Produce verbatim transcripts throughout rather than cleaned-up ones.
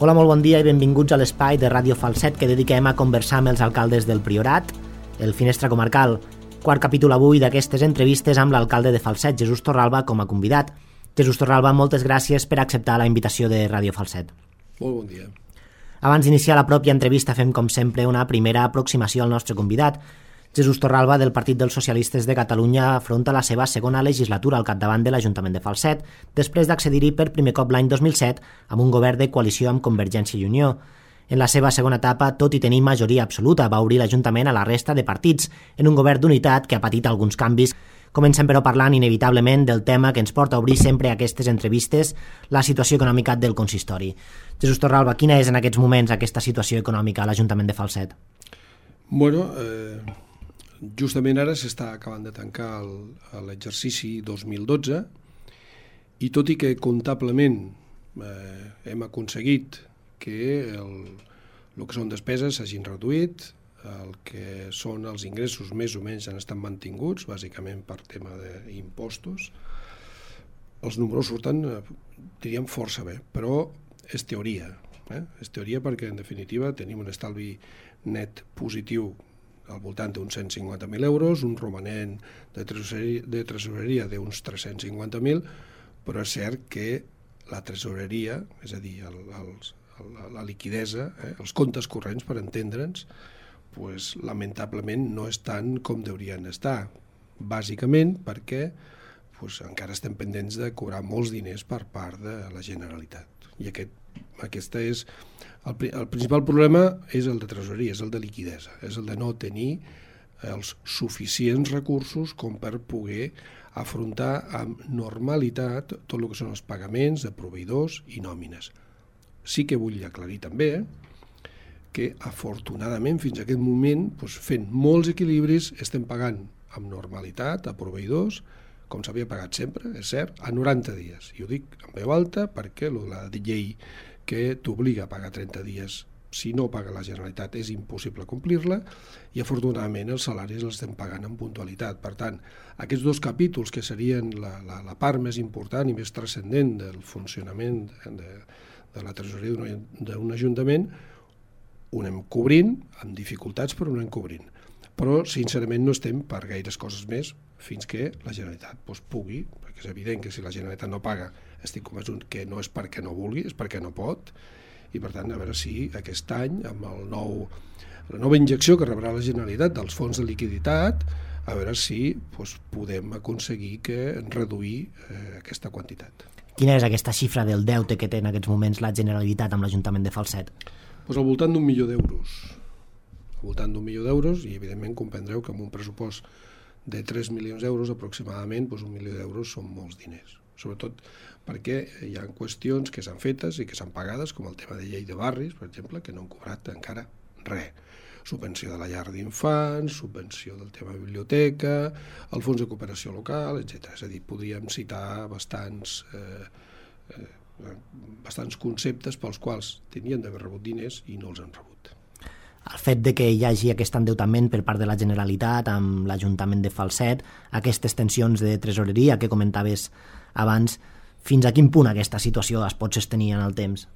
Hola, molt bon dia i benvinguts a l'espai de Ràdio Falset que dediquem a conversar amb els alcaldes del Priorat, el Finestra Comarcal. Quart capítol avui d'aquestes entrevistes amb l'alcalde de Falset, Jesús Torralba, com a convidat. Jesús Torralba, moltes gràcies per acceptar la invitació de Ràdio Falset. Molt bon dia. Abans d'iniciar la pròpia entrevista fem, com sempre, una primera aproximació al nostre convidat. Jesús Torralba, del Partit dels Socialistes de Catalunya, afronta la seva segona legislatura al capdavant de l'Ajuntament de Falset, després d'accedir-hi per primer cop l'any dos mil set amb un govern de coalició amb Convergència i Unió. En la seva segona etapa, tot i tenir majoria absoluta, va obrir l'Ajuntament a la resta de partits, en un govern d'unitat que ha patit alguns canvis. Comencem, però, parlant inevitablement del tema que ens porta a obrir sempre aquestes entrevistes, la situació econòmica del consistori. Jesús Torralba, quina és en aquests moments aquesta situació econòmica a l'Ajuntament de Falset? Bueno, eh, justament ara s'està acabant de tancar el, l'exercici dos mil dotze i tot i que comptablement eh, hem aconseguit que el, el que són despeses s'hagin reduït, el que són els ingressos més o menys han estat mantinguts, bàsicament per tema d'impostos. Els números surten, diríem, força bé, però és teoria. Eh? És teoria perquè, en definitiva, tenim un estalvi net positiu al voltant d'uns cent cinquanta mil euros, un romanent de tresoreria, de tresoreria d'uns tres-cents cinquanta mil, però és cert que la tresoreria, és a dir, el, els, la, la liquidesa, eh, els comptes corrents, per entendre'ns, pues, lamentablement no estan com deurien estar, bàsicament perquè pues, encara estem pendents de cobrar molts diners per part de la Generalitat. I aquest, aquesta és, el, el principal problema és el de tresoreria, és el de liquidesa, és el de no tenir els suficients recursos com per poder afrontar amb normalitat tot el que són els pagaments de proveïdors i nòmines. Sí que vull aclarir també que afortunadament fins a aquest moment, doncs, fent molts equilibris, estem pagant amb normalitat a proveïdors, com s'havia pagat sempre, és cert, a noranta dies. I ho dic en veu alta perquè la llei que t'obliga a pagar trenta dies, si no paga la Generalitat, és impossible complir-la, i afortunadament els salaris els estem pagant en puntualitat. Per tant, aquests dos capítols, que serien la, la, la part més important i més transcendent del funcionament de, de la tresoreria d'un ajuntament, ho anem cobrint, amb dificultats, però ho anem cobrint. Però, sincerament, no estem per gaires coses més fins que la Generalitat doncs, pugui, perquè és evident que si la Generalitat no paga, estic convençut que no és perquè no vulgui, és perquè no pot, i per tant, a veure si aquest any, amb el nou, la nova injecció que rebrà la Generalitat dels fons de liquiditat, a veure si doncs, podem aconseguir que reduir eh, aquesta quantitat. Quina és aquesta xifra del deute que té en aquests moments la Generalitat amb l'Ajuntament de Falset? Pues al voltant d'un milió d'euros. Al voltant d'un milió d'euros, i evidentment comprendreu que amb un pressupost de tres milions d'euros aproximadament, pues un milió d'euros són molts diners. Sobretot perquè hi ha qüestions que s'han fetes i que s'han pagades, com el tema de llei de barris, per exemple, que no han cobrat encara res. Subvenció de la llar d'infants, subvenció del tema de biblioteca, el fons de cooperació local, etcètera. És a dir, podríem citar bastants eh, eh, bastants conceptes pels quals tenien d'haver rebut diners i no els han rebut. El fet de que hi hagi aquest endeutament per part de la Generalitat amb l'Ajuntament de Falset, aquestes tensions de tresoreria que comentaves abans, fins a quin punt aquesta situació es pot sostenir en el temps?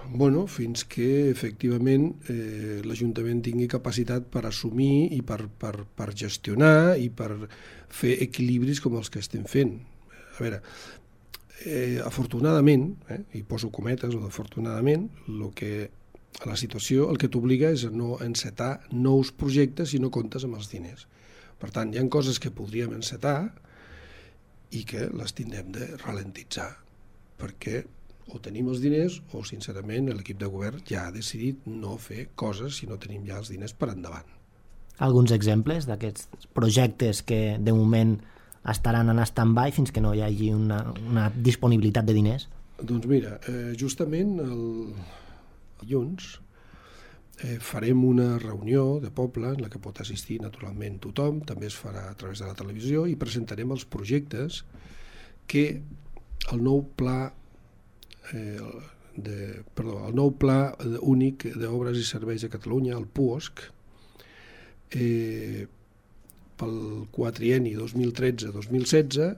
Bueno, fins que efectivament eh, l'Ajuntament tingui capacitat per assumir i per, per, per gestionar i per fer equilibris com els que estem fent. A veure, Eh, afortunadament, eh, i poso cometes, o afortunadament, lo que, a la situació el que t'obliga és a no encetar nous projectes si no comptes amb els diners. Per tant, hi ha coses que podríem encetar i que les tindrem de ralentitzar, perquè o tenim els diners o, sincerament, l'equip de govern ja ha decidit no fer coses si no tenim ja els diners per endavant. Alguns exemples d'aquests projectes que, de moment, estaran en stand-by fins que no hi hagi una, una disponibilitat de diners? Doncs mira, eh, justament el dilluns eh, farem una reunió de poble en la que pot assistir naturalment tothom, també es farà a través de la televisió, i presentarem els projectes que el nou pla eh, de, perdó, el nou pla únic d'obres i serveis de Catalunya, el P U O S C, eh, pel quatrienni dos mil tretze dos mil setze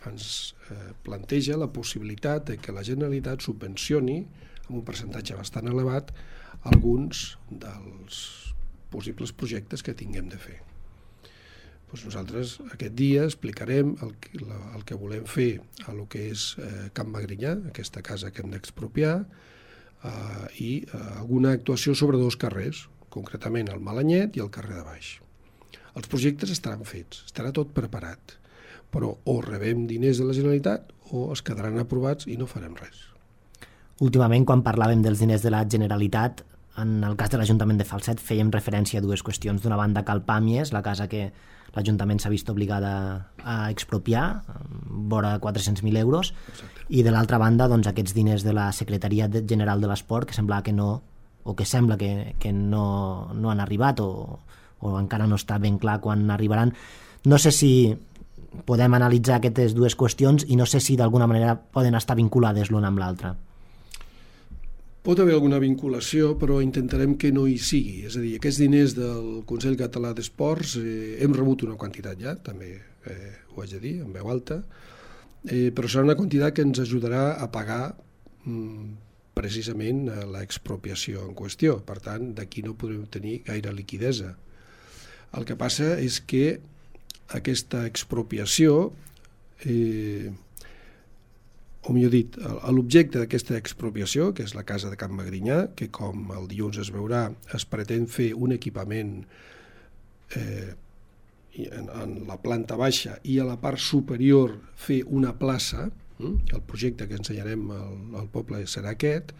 ens eh, planteja la possibilitat de que la Generalitat subvencioni amb un percentatge bastant elevat alguns dels possibles projectes que tinguem de fer. Doncs nosaltres aquest dia explicarem el, el que volem fer a lo que és eh, Can Magrinyà, aquesta casa que hem d'expropiar, eh, i eh, alguna actuació sobre dos carrers, concretament el Malanyet i el carrer de Baix. Els projectes estaran fets, estarà tot preparat, però o rebem diners de la Generalitat o es quedaran aprovats i no farem res. Últimament, quan parlàvem dels diners de la Generalitat, en el cas de l'Ajuntament de Falset fèiem referència a dues qüestions. D'una banda, Cal Pàmies, la casa que l'Ajuntament s'ha vist obligada a expropiar, vora quatre-cents mil euros. Exacte. I de l'altra banda, doncs, aquests diners de la Secretaria General de l'Esport, que sembla que no, o que sembla que, que no, no han arribat, o, o encara no està ben clar quan arribaran. No sé si podem analitzar aquestes dues qüestions i no sé si d'alguna manera poden estar vinculades l'una amb l'altra. Pot haver alguna vinculació, però intentarem que no hi sigui. És a dir, aquests diners del Consell Català d'Esports eh, hem rebut una quantitat ja, també eh, ho haig de dir, en veu alta, eh, però serà una quantitat que ens ajudarà a pagar mm, precisament l'expropiació en qüestió. Per tant, d'aquí no podrem tenir gaire liquidesa. El que passa és que aquesta expropiació, eh, o millor dit, l'objecte d'aquesta expropiació, que és la casa de Can Magrinyà, que com el dilluns es veurà, es pretén fer un equipament eh, en, en la planta baixa i a la part superior fer una plaça, eh? El projecte que ensenyarem al, al poble serà aquest.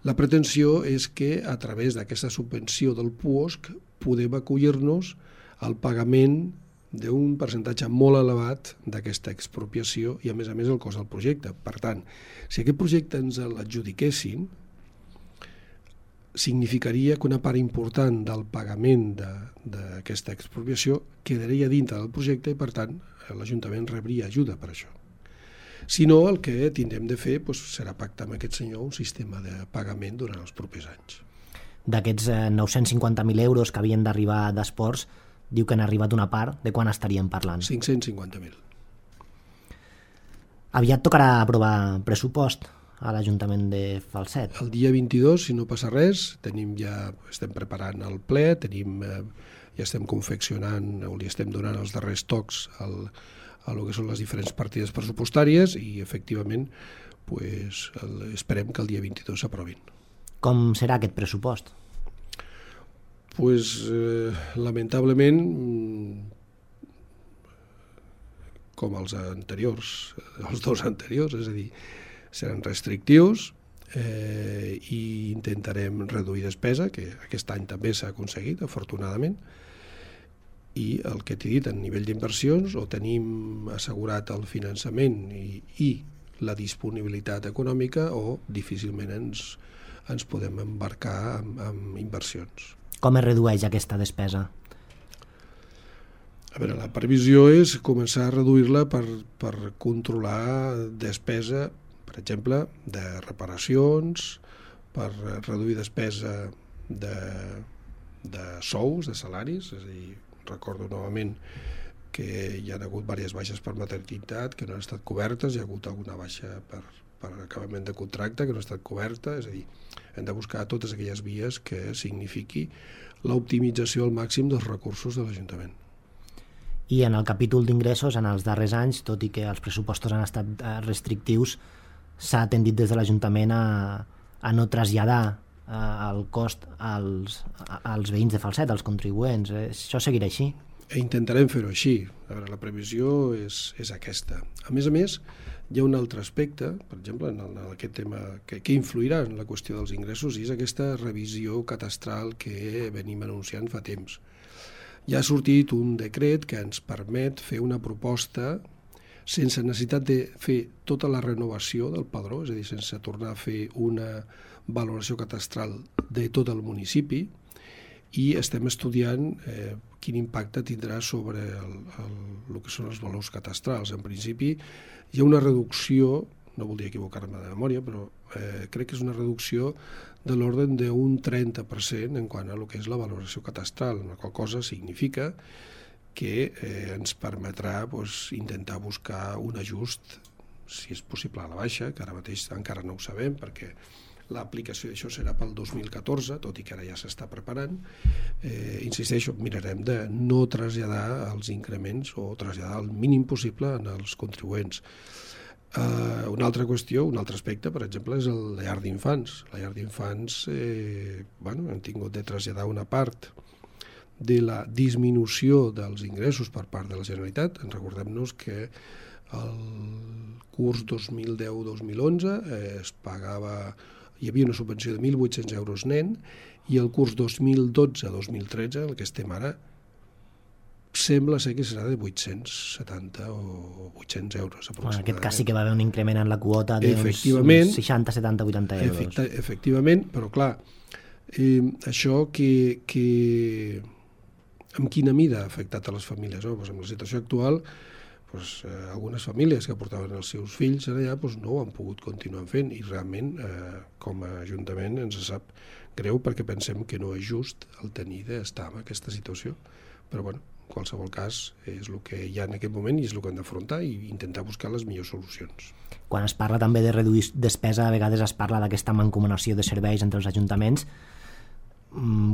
La pretensió és que a través d'aquesta subvenció del puosc podem acollir-nos al pagament d'un percentatge molt elevat d'aquesta expropiació i, a més a més, el cost del projecte. Per tant, si aquest projecte ens l'adjudiquessin, significaria que una part important del pagament d'aquesta expropiació quedaria dintre del projecte i, per tant, l'Ajuntament rebria ajuda per això. Si no, el que tindrem de fer doncs, serà pactar amb aquest senyor un sistema de pagament durant els propers anys. D'aquests eh, nou-cents cinquanta mil euros que havien d'arribar d'esports, diu que han arribat una part. De quan estaríem parlant? cinc-cents cinquanta mil. Aviat tocarà aprovar pressupost a l'Ajuntament de Falset. El dia vint-i-dos, si no passa res, tenim ja, estem preparant el ple, tenim, eh, ja estem confeccionant, o li estem donant els darrers tocs al, a lo que són les diferents partides pressupostàries i, efectivament, pues, el, esperem que el dia vint-i-dos s'aprovin. Com serà aquest pressupost? Pues, eh, lamentablement, com els anteriors, els dos anteriors, és a dir, seran restrictius eh, i intentarem reduir despesa, que aquest any també s'ha aconseguit, afortunadament, i el que t'he dit, a nivell d'inversions, o tenim assegurat el finançament i, i la disponibilitat econòmica, o difícilment ens, ens podem embarcar en, en inversions. Com es redueix aquesta despesa? A veure, la previsió és començar a reduir-la per, per controlar despesa, per exemple, de reparacions, per reduir despesa de, de sous, de salaris, és a dir, recordo novament que hi ha hagut diverses baixes per maternitat que no han estat cobertes, hi ha hagut alguna baixa per, per acabament de contracte que no ha estat coberta, és a dir, hem de buscar totes aquelles vies que signifiqui l'optimització al màxim dels recursos de l'Ajuntament. I en el capítol d'ingressos, en els darrers anys, tot i que els pressupostos han estat restrictius, s'ha tendit des de l'Ajuntament a, a no traslladar a, el cost als, a, als veïns de Falset, als contribuents. Això seguirà així? E intentarem fer-ho així. A veure, la previsió és, és aquesta. A més a més, hi ha un altre aspecte, per exemple, en, el, en aquest tema que, que influirà en la qüestió dels ingressos, i és aquesta revisió catastral que venim anunciant fa temps. Ja ha sortit un decret que ens permet fer una proposta sense necessitat de fer tota la renovació del padró, és a dir, sense tornar a fer una valoració catastral de tot el municipi, i estem estudiant eh, quin impacte tindrà sobre el, el, el que són els valors catastrals. En principi hi ha una reducció, no voldria equivocar-me de memòria, però eh, crec que és una reducció de l'ordre d'un trenta per cent en quant a el que és la valoració catastral, la qual cosa significa que eh, ens permetrà doncs, intentar buscar un ajust, si és possible a la baixa, que ara mateix encara no ho sabem, perquè l'aplicació d'això serà pel dos mil catorze, tot i que ara ja s'està preparant. Eh, insisteixo, mirarem de no traslladar els increments o traslladar el mínim possible en els contribuents. Uh, una altra qüestió, un altre aspecte, per exemple, és el llar d'infants. La llar d'infants, eh, bueno, hem tingut de traslladar una part de la disminució dels ingressos per part de la Generalitat. Recordem-nos que el curs dos mil deu dos mil onze eh, es pagava, hi havia una subvenció de mil vuit-cents euros nen, i el curs dos mil dotze dos mil tretze, el que estem ara, sembla ser que serà de vuit-cents setanta o vuit-cents euros aproximadament. En aquest cas sí que va haver un increment en la quota d'uns seixanta, setanta, vuitanta euros. Efecte, efectivament, però clar, eh, això que, que en quina mida ha afectat a les famílies? No? Pues en la situació actual, pues, eh, algunes famílies que portaven els seus fills allà pues, no ho han pogut continuar fent, i realment eh, com a Ajuntament ens sap greu perquè pensem que no és just el tenir d'estar en aquesta situació, però bueno, en qualsevol cas és el que hi ha en aquest moment i és el que hem d'afrontar i intentar buscar les millors solucions. Quan es parla també de reduir despesa, a vegades es parla d'aquesta mancomunació de serveis entre els ajuntaments.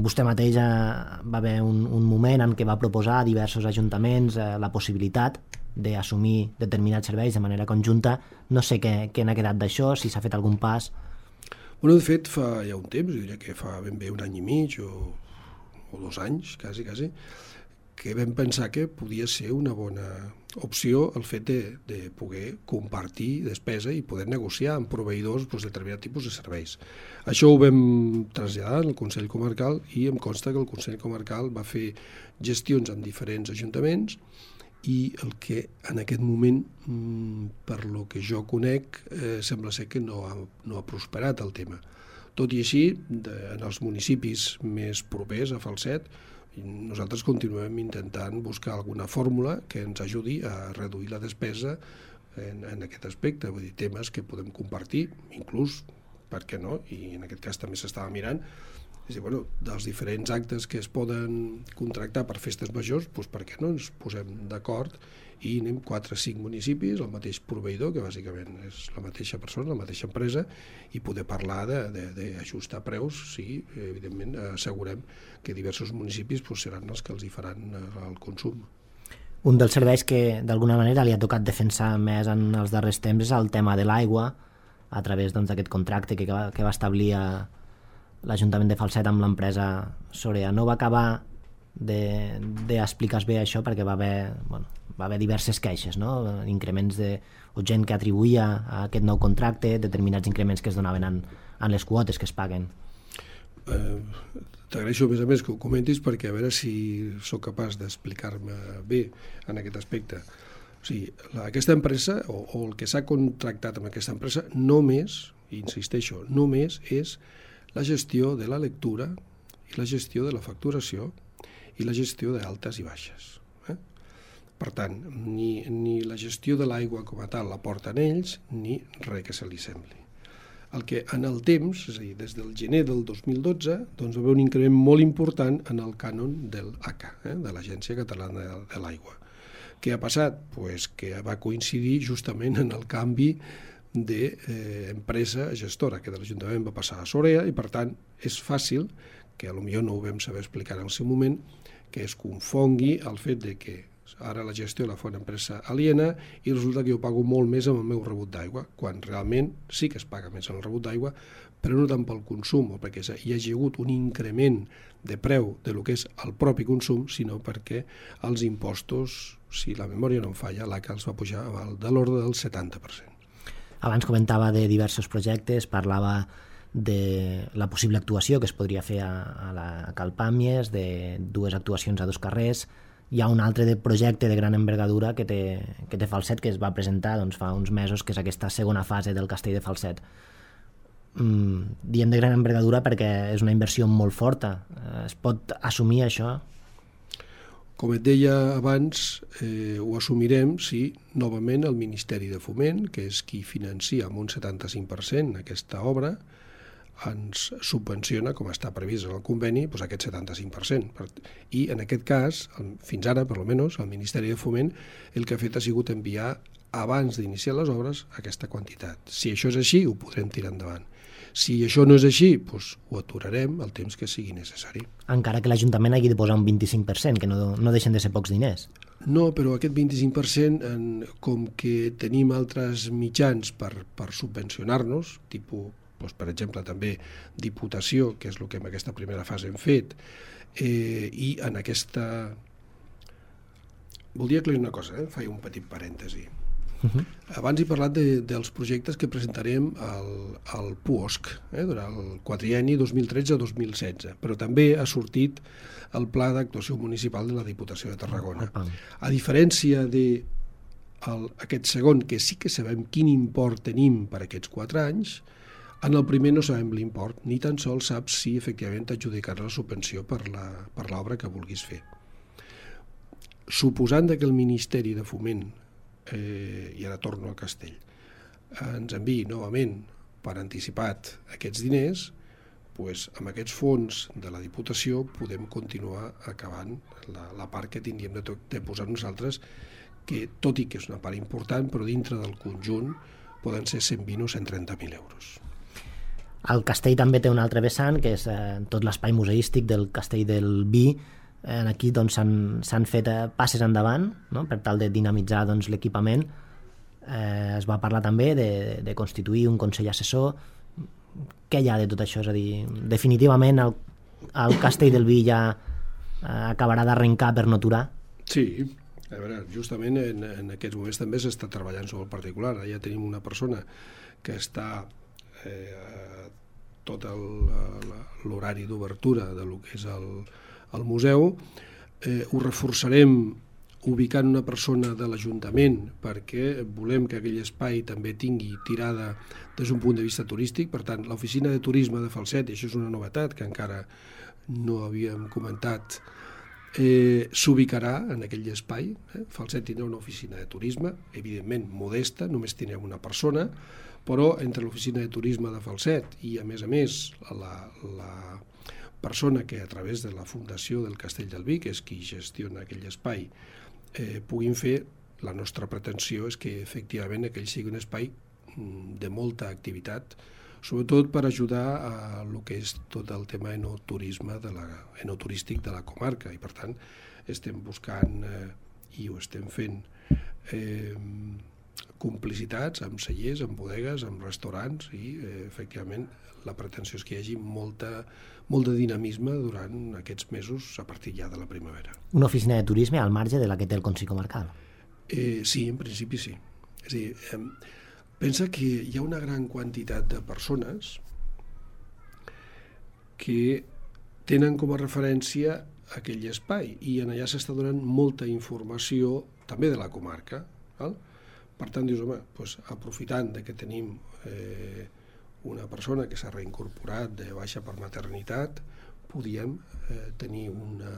Vostè mateix va haver un, un moment en què va proposar a diversos ajuntaments eh, la possibilitat d'assumir determinats serveis de manera conjunta. No sé què, què n'ha quedat d'això, si s'ha fet algun pas. Bueno, de fet, fa ja un temps, diria que fa ben bé un any i mig o, o dos anys, quasi, quasi, que vam pensar que podia ser una bona opció el fet de, de poder compartir despesa i poder negociar amb proveïdors doncs, determinat tipus de serveis. Això ho vam traslladar al Consell Comarcal i em consta que el Consell Comarcal va fer gestions amb diferents ajuntaments i el que en aquest moment, per lo que jo conec, eh, sembla ser que no ha, no ha prosperat el tema. Tot i així, de, en els municipis més propers a Falset, nosaltres continuem intentant buscar alguna fórmula que ens ajudi a reduir la despesa en, en aquest aspecte, vull dir, temes que podem compartir, inclús, per què no, i en aquest cas també s'estava mirant, és a dir, bueno, dels diferents actes que es poden contractar per festes majors, doncs per què no ens posem d'acord i anem quatre o cinc municipis, el mateix proveïdor, que bàsicament és la mateixa persona, la mateixa empresa, i poder parlar d'ajustar preus si, evidentment, assegurem que diversos municipis doncs, seran els que els hi faran el consum. Un dels serveis que d'alguna manera li ha tocat defensar més en els darrers temps és el tema de l'aigua, a través doncs, d'aquest contracte que va, que va establir a l'Ajuntament de Falset amb l'empresa Sorea. No va acabar d'explicar bé això perquè va haver, bueno, va haver diverses queixes, no? Increments de, o gent que atribuïa a aquest nou contracte determinats increments que es donaven en, en les quotes que es paguen. Eh, T'agraeixo a més a més que ho comentis perquè a veure si sóc capaç d'explicar-me bé en aquest aspecte. O sigui, la, aquesta empresa o, o el que s'ha contractat amb aquesta empresa només, insisteixo, només és la gestió de la lectura i la gestió de la facturació i la gestió d'altes i baixes. Eh? Per tant, ni, ni la gestió de l'aigua com a tal la porten ells, ni res que se li sembli. El que en el temps, és a dir, des del gener del dos mil dotze, doncs va haver un increment molt important en el cànon del A C A, eh? de l'Agència Catalana de, de l'Aigua. Què ha passat? Pues que va coincidir justament en el canvi d'empresa gestora, que de l'Ajuntament va passar a Sorea, i per tant és fàcil, que potser no ho vam saber explicar en el seu moment, que es confongui el fet de que ara la gestió la fa una empresa aliena i resulta que jo pago molt més amb el meu rebut d'aigua, quan realment sí que es paga més en el rebut d'aigua, però no tant pel consum o perquè hi hagi hagut un increment de preu de lo que és el propi consum, sinó perquè els impostos, si la memòria no em falla, l'A C A els va pujar de l'ordre del setanta per cent. Abans comentava de diversos projectes, parlava de la possible actuació que es podria fer a, a la a Cal Pàmies, de dues actuacions a dos carrers. Hi ha un altre de projecte de gran envergadura que té, que té Falset, que es va presentar doncs, fa uns mesos, que és aquesta segona fase del castell de Falset. Mm, diem de gran envergadura perquè és una inversió molt forta. Es pot assumir això? Com et deia abans, eh, ho assumirem si novament el Ministeri de Foment, que és qui financia amb un setanta-cinc per cent aquesta obra, ens subvenciona, com està previst en el conveni, doncs aquest setanta-cinc per cent. I en aquest cas, fins ara, per almenys, el Ministeri de Foment el que ha fet ha sigut enviar, abans d'iniciar les obres, aquesta quantitat. Si això és així, ho podrem tirar endavant. Si això no és així, doncs ho aturarem el temps que sigui necessari. Encara que l'Ajuntament hagi de posar un vint-i-cinc per cent, que no, no deixen de ser pocs diners. No, però aquest vint-i-cinc per cent, en, com que tenim altres mitjans per, per subvencionar-nos, tipus, doncs, per exemple, també Diputació, que és el que en aquesta primera fase hem fet, eh, i en aquesta... Voldria aclarir una cosa, eh? Faig un petit parèntesi. Uh-huh. Abans he parlat de, dels projectes que presentarem al, al P U O S C, eh, durant el quadrienni dos mil tretze a dos mil setze, però també ha sortit el Pla d'Actuació Municipal de la Diputació de Tarragona. Uh-huh. A diferència de el, aquest segon, que sí que sabem quin import tenim per aquests quatre anys, en el primer no sabem l'import, ni tan sols saps si efectivament t'adjudicarà la subvenció per la, per l'obra que vulguis fer. Suposant que el Ministeri de Foment, eh, i ara torno al castell, ens enviï novament per anticipat aquests diners, doncs amb aquests fons de la Diputació podem continuar acabant la, la part que tindríem de, de posar nosaltres, que tot i que és una part important, però dintre del conjunt poden ser cent vint o cent trenta mil euros. El castell també té un altre vessant, que és eh, tot l'espai museístic del castell del Vi. Eh, aquí doncs, s'han fet eh, passes endavant, no?, per tal de dinamitzar doncs, l'equipament. Eh, es va parlar també de, de constituir un consell assessor. Què hi ha de tot això? És a dir, definitivament el, el castell del Vi ja eh, acabarà d'arrencar per no aturar? Sí, a veure, justament en, en aquests moments també s'està treballant sobre el particular. Ja tenim una persona que està eh, tot l'horari d'obertura de lo que és el, el museu. Eh, ho reforçarem ubicant una persona de l'Ajuntament perquè volem que aquell espai també tingui tirada des d'un punt de vista turístic. Per tant, l'oficina de turisme de Falset, i això és una novetat que encara no havíem comentat, eh, s'ubicarà en aquell espai. Eh? Falset tindrà una oficina de turisme, evidentment modesta, només tindrem una persona, però entre l'oficina de turisme de Falset i, a més a més, la, la persona que a través de la Fundació del Castell del Vi, que és qui gestiona aquell espai, eh, puguin fer, la nostra pretensió és que efectivament aquell sigui un espai de molta activitat, sobretot per ajudar a el que és tot el tema enoturisme de la, enoturístic de la comarca, i per tant estem buscant, eh, i ho estem fent, eh, complicitats amb cellers, amb bodegues, amb restaurants, i eh, efectivament la pretensió és que hi hagi molta, molt de dinamisme durant aquests mesos a partir ja de la primavera. Una oficina de turisme al marge de la que té el Consell Comarcal? Eh, sí, en principi sí. És a dir, eh, pensa que hi ha una gran quantitat de persones que tenen com a referència aquell espai i en allà s'està donant molta informació també de la comarca. Val? Per tant, dius, home, doncs, aprofitant de que tenim eh, una persona que s'ha reincorporat de baixa per maternitat, podíem eh, tenir una,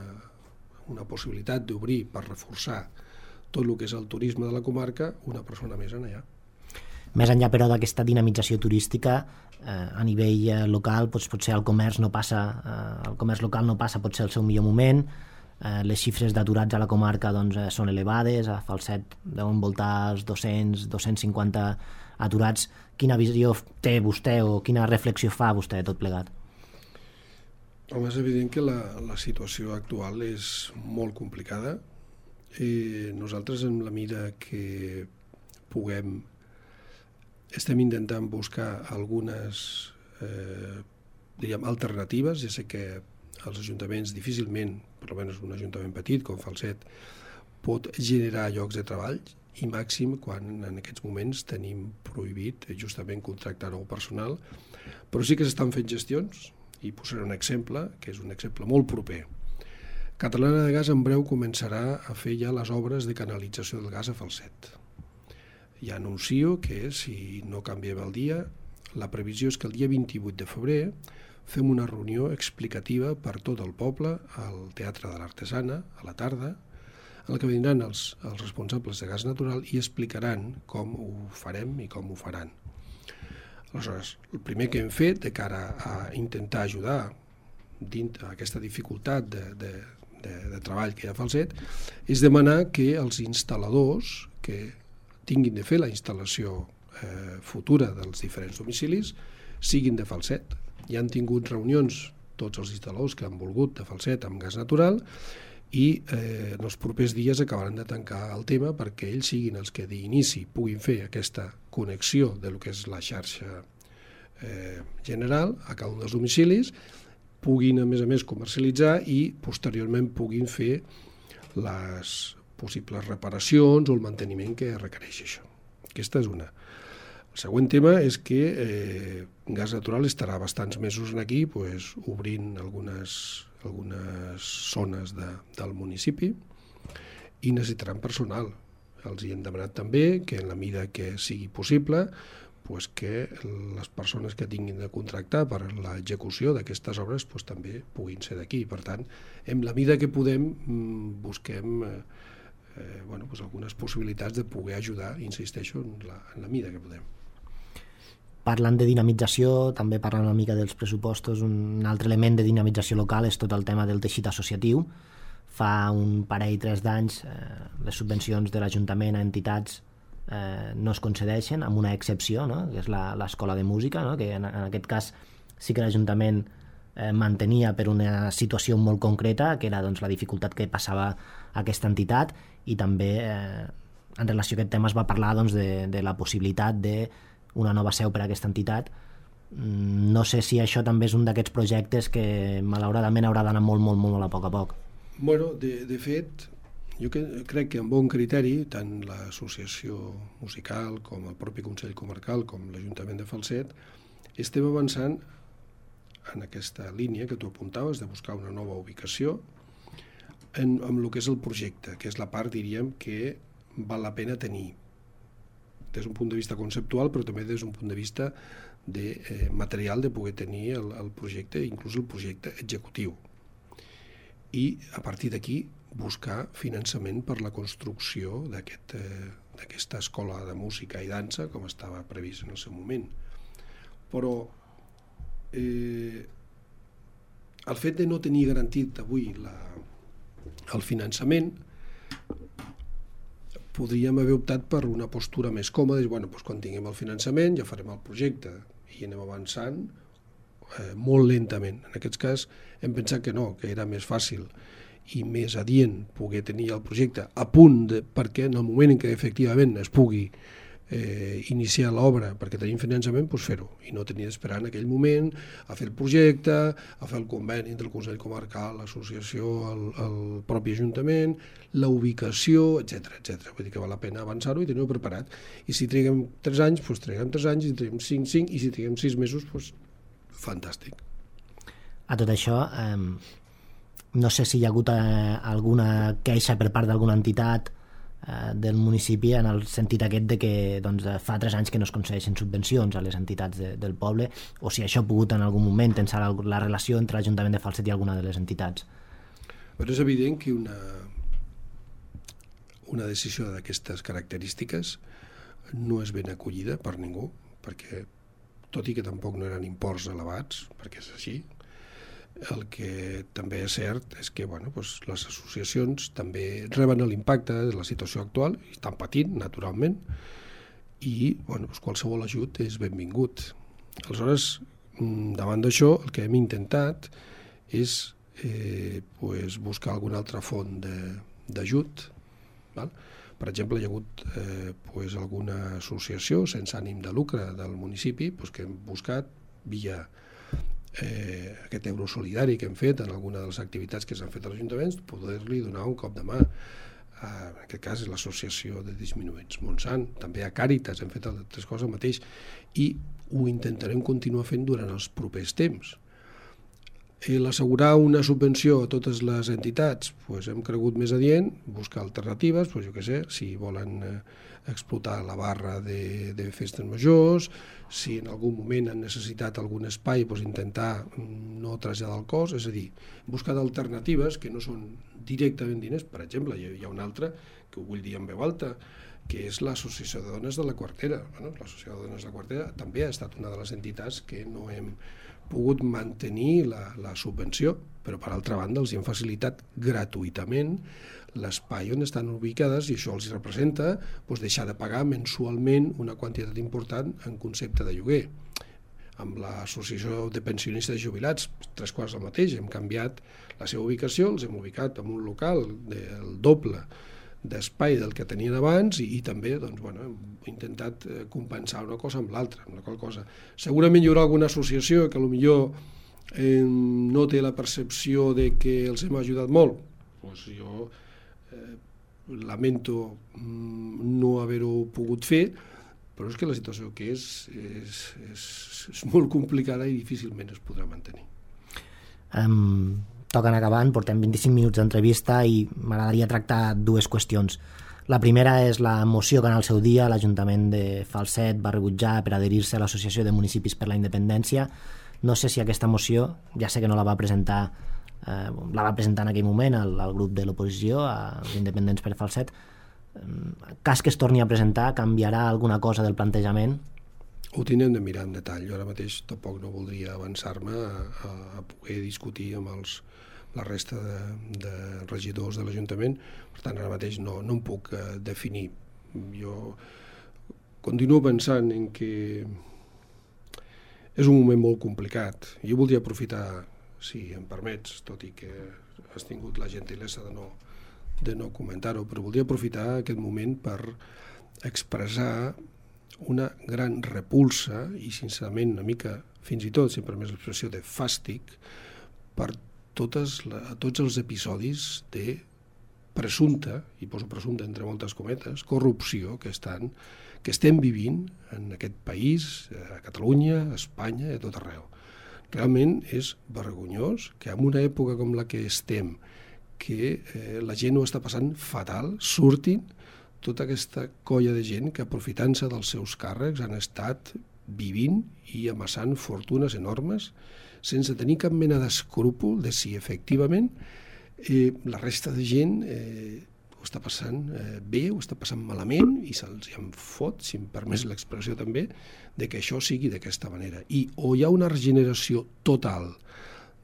una possibilitat d'obrir per reforçar tot el que és el turisme de la comarca una persona més en allà. Més enllà, però, d'aquesta dinamització turística, eh, a nivell eh, local, doncs, potser el comerç no passa, eh, el comerç local no passa potser el seu millor moment, eh, les xifres d'aturats a la comarca doncs, eh, són elevades, a Falset deuen voltar els dos-cents a dos-cents cinquanta aturats. Quina visió té vostè o quina reflexió fa vostè de tot plegat? Home, és evident que la, la situació actual és molt complicada. Eh, nosaltres, en la mida que puguem, estem intentant buscar algunes eh, diríem, alternatives. Ja sé que els ajuntaments difícilment, per almenys un ajuntament petit com Falset, pot generar llocs de treball, i màxim quan en aquests moments tenim prohibit justament contractar nou personal, però sí que s'estan fent gestions, i posaré un exemple, que és un exemple molt proper. Catalana de Gas en breu començarà a fer ja les obres de canalització del gas a Falset. Ja anuncio que, si no canviem el dia, la previsió és que el dia vint-i-vuit de febrer fem una reunió explicativa per tot el poble al Teatre de l'Artesana, a la tarda, en el que vindran els, els responsables de gas natural i explicaran com ho farem i com ho faran. Aleshores, el primer que hem fet de cara a intentar ajudar dins aquesta dificultat de, de, de, de treball que hi ha a Falset és demanar que els instal·ladors que tinguin de fer la instal·lació eh, futura dels diferents domicilis siguin de Falset. Ja han tingut reunions tots els instal·ladors que han volgut de Falset amb gas natural i eh, en els propers dies acabaran de tancar el tema perquè ells siguin els que d'inici puguin fer aquesta connexió de lo que és la xarxa eh, general a cada un dels domicilis, puguin a més a més comercialitzar i posteriorment puguin fer les possibles reparacions o el manteniment que requereix això. Aquesta és una. El següent tema és que eh, Gas Natural estarà bastants mesos aquí pues, obrint algunes, algunes zones de, del municipi i necessitaran personal. Els hi hem demanat també que en la mida que sigui possible pues, que les persones que tinguin de contractar per l'execució d'aquestes obres pues, també puguin ser d'aquí. Per tant, en la mida que podem busquem eh, eh, bueno, pues, algunes possibilitats de poder ajudar, insisteixo, en la, en la mida que podem. Parlant de dinamització, també parlant una mica dels pressupostos, un altre element de dinamització local és tot el tema del teixit associatiu. Fa un parell, tres d'anys, eh, les subvencions de l'Ajuntament a entitats eh, no es concedeixen, amb una excepció, no? Que és l'Escola de Música, no? Que en, en aquest cas sí que l'Ajuntament eh, mantenia per una situació molt concreta, que era doncs, la dificultat que passava aquesta entitat, i també eh, en relació a aquest tema es va parlar doncs, de, de la possibilitat de una nova seu per a aquesta entitat. No sé si això també és un d'aquests projectes que malauradament haurà d'anar molt, molt, molt a poc a poc. Bueno, de, de fet, jo que, crec que amb bon criteri, tant l'associació musical com el propi Consell Comarcal com l'Ajuntament de Falset, estem avançant en aquesta línia que tu apuntaves de buscar una nova ubicació en, en el que és el projecte, que és la part, diríem, que val la pena tenir des d'un punt de vista conceptual, però també des d'un punt de vista de eh, material de poder tenir el, el projecte, inclús el projecte executiu. I a partir d'aquí buscar finançament per la construcció d'aquest, eh, d'aquesta escola de música i dansa, com estava previst en el seu moment. Però eh, el fet de no tenir garantit avui la, el finançament podríem haver optat per una postura més còmoda, i bueno, doncs quan tinguem el finançament ja farem el projecte i anem avançant eh, molt lentament. En aquest cas hem pensat que no, que era més fàcil i més adient poder tenir el projecte a punt, de, perquè en el moment en què efectivament es pugui eh, iniciar l'obra perquè tenim finançament, doncs fer-ho, i no tenir d'esperar en aquell moment a fer el projecte, a fer el conveni entre el Consell Comarcal, l'associació, el, el propi Ajuntament, la ubicació, etcètera, etcètera. Vull dir que val la pena avançar-ho i tenir-ho preparat. I si triguem tres anys, doncs triguem tres anys, i si triguem cinc, cinc, i si triguem sis mesos, doncs fantàstic. A tot això, eh, no sé si hi ha hagut eh, alguna queixa per part d'alguna entitat del municipi en el sentit aquest de que doncs, fa tres anys que no es concedeixen subvencions a les entitats de, del poble, o si això ha pogut en algun moment tensar la relació entre l'Ajuntament de Falset i alguna de les entitats. Però és evident que una, una decisió d'aquestes característiques no és ben acollida per ningú, perquè tot i que tampoc no eren imports elevats, perquè és així, el que també és cert és que bueno, doncs les associacions també reben l'impacte de la situació actual i estan patint, naturalment, i bueno, doncs qualsevol ajut és benvingut. Aleshores, davant d'això, el que hem intentat és eh, doncs buscar alguna altra font d'ajut. Per exemple, hi ha hagut eh, doncs alguna associació sense ànim de lucre del municipi doncs que hem buscat via Eh, aquest euro solidari que hem fet en alguna de les activitats que s'han fet a l'Ajuntament, poder-li donar un cop de mà. Eh, en aquest cas és l'associació de disminuïts Montsant, també a Càritas hem fet altres coses el mateix, i ho intentarem continuar fent durant els propers temps. L'assegurar una subvenció a totes les entitats, doncs hem cregut més adient buscar alternatives, doncs jo què sé, si volen eh, explotar la barra de, de festes majors, si en algun moment han necessitat algun espai, doncs intentar no traslladar el cost, és a dir, buscar alternatives que no són directament diners. Per exemple, hi ha un altre, que ho vull dir en veu alta, que és l'Associació de Dones de la Quartera. Bueno, l'Associació de Dones de la Quartera també ha estat una de les entitats que no hem pogut mantenir la, la subvenció, però per altra banda els hem facilitat gratuïtament l'espai on estan ubicades i això els representa doncs, deixar de pagar mensualment una quantitat important en concepte de lloguer. Amb l'Associació de Pensionistes i Jubilats, tres quarts del mateix, hem canviat la seva ubicació, els hem ubicat en un local del doble d'espai del que tenien abans i, i també doncs, bueno, hem intentat compensar una cosa amb l'altra. Una cosa. Segurament hi haurà alguna associació que potser eh, no té la percepció de que els hem ajudat molt. Pues jo eh, lamento no haver-ho pogut fer, però és que la situació que és és, és, és molt complicada i difícilment es podrà mantenir. Um... Toquen acabant, portem vint-i-cinc minuts d'entrevista i m'agradaria tractar dues qüestions. La primera és la moció que en el seu dia l'Ajuntament de Falset va rebutjar per adherir-se a l'Associació de Municipis per la Independència. No sé si aquesta moció, ja sé que no la va presentar, eh, la va presentar en aquell moment al, al grup de l'oposició, als Independents per Falset. En cas que es torni a presentar, canviarà alguna cosa del plantejament? Ho tindrem de mirar en detall. Jo ara mateix tampoc no voldria avançar-me a, a, a poder discutir amb els, la resta de, de regidors de l'Ajuntament. Per tant, ara mateix no, no em puc uh, definir. Jo continuo pensant en que és un moment molt complicat. Jo voldria aprofitar, si em permets, tot i que has tingut la gentilesa de no, de no comentar-ho, però voldria aprofitar aquest moment per expressar una gran repulsa i sincerament una mica, fins i tot, sempre més l'expressió de fàstic per totes la, tots els episodis de presumpta, i poso presumpta entre moltes cometes, corrupció que, estan, que estem vivint en aquest país, a Catalunya, a Espanya i a tot arreu. Realment és vergonyós que en una època com la que estem, que eh, la gent ho està passant fatal, surtin tota aquesta colla de gent que, aprofitant-se dels seus càrrecs, han estat vivint i amassant fortunes enormes sense tenir cap mena d'escrúpol de si efectivament eh, la resta de gent eh, ho està passant eh, bé, ho està passant malament i se'ls en fot, si em permès l'expressió també, de que això sigui d'aquesta manera. I o hi ha una regeneració total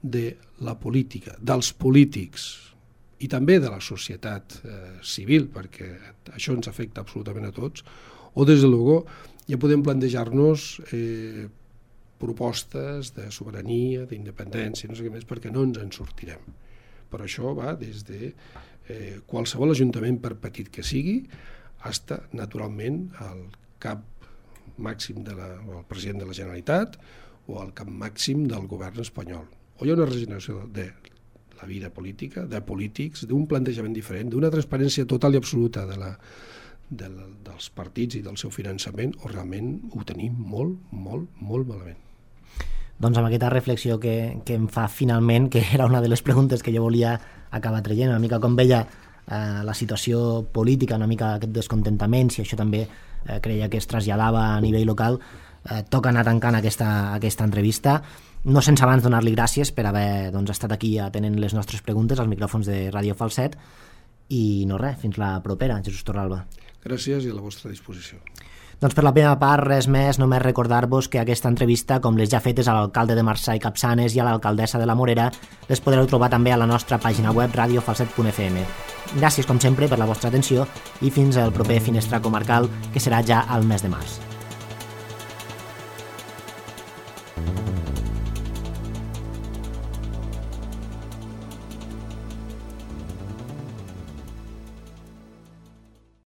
de la política, dels polítics, i també de la societat eh, civil, perquè això ens afecta absolutament a tots, o des de luego ja podem plantejar-nos eh, propostes de sobirania, d'independència, no sé què més, perquè no ens en sortirem. Però això va des de eh, qualsevol ajuntament, per petit que sigui, fins naturalment al cap màxim de la, o el president de la Generalitat o al cap màxim del govern espanyol. O hi ha una regeneració de la vida política, de polítics, d'un plantejament diferent, d'una transparència total i absoluta de la, de la, dels partits i del seu finançament, o realment ho tenim molt, molt, molt malament. Doncs amb aquesta reflexió que, que em fa finalment, que era una de les preguntes que jo volia acabar traient, una mica com veia eh, la situació política, una mica aquest descontentament, si això també eh, creia que es traslladava a nivell local, eh, toca anar tancant aquesta, aquesta entrevista. No sense abans donar-li gràcies per haver doncs, estat aquí atenent les nostres preguntes als micròfons de Ràdio Falset i no res, fins la propera, Jesús Torralba. Gràcies i a la vostra disposició. Doncs per la meva part, res més, només recordar-vos que aquesta entrevista, com les ja fetes a l'alcalde de Marçà i Capçanes i a l'alcaldessa de la Morera, les podreu trobar també a la nostra pàgina web radio falset punt f m. Gràcies, com sempre, per la vostra atenció i fins al proper Finestra Comarcal, que serà ja al mes de març.